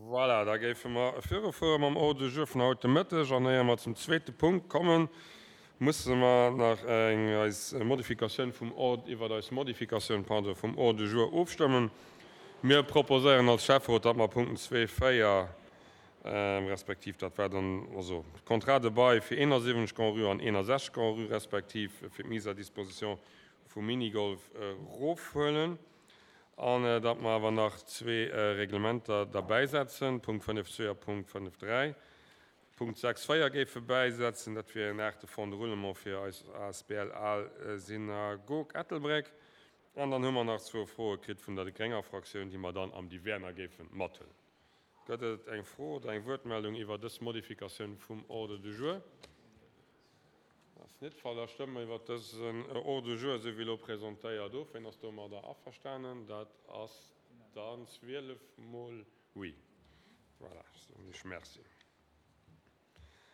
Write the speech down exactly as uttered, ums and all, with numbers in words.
Voilà, da géife mer virufuere mam Ordre du jour vun haut de Mëtteg. An éier mer zum zweete Punkt kommen, musse mer nach eng eis Modifikatioun vum Ord, iwwert eis Modifikatioun, pardon, vum Ordre du jour ofstëmmen. Mir proposéieren als Schäfferot, datt mer Punkten zwee, véier, respektiv dat war dann also Contrat de bail fir eenasiwwenzeg Grand-Rue an eenundsechzeg Grand-Rue, respektiv fir d'Mise à disposition vum Minigolf erofhuelen. An datt mer awer nach zwee Reglementer derbäisetzen, Punkt fënnef zwee a Punkt fënnef dräi. Punkt sechs véier géife bäisetzen, dat wier en Acte de fonds de roulement fir eis A S B L Al Synagog Ettelbréck. An dann hu mer nach zwou Froe kritt vun der grénger Fraktioun, déi mer dann am Divers nach géife mathuelen. Gëtt et eng Fro oder eng Wuertmeldung iwwer dës Modifikatioun vum Ordre du jour? Dat ass net de Fall. Da stëmme mer iwwer dësen Ordre du jour, esou wéi elo presentéiert, of. Wien ass domadder averstanen? Dat ass dann zwielef mol oui. Voilà, soen ech Merci.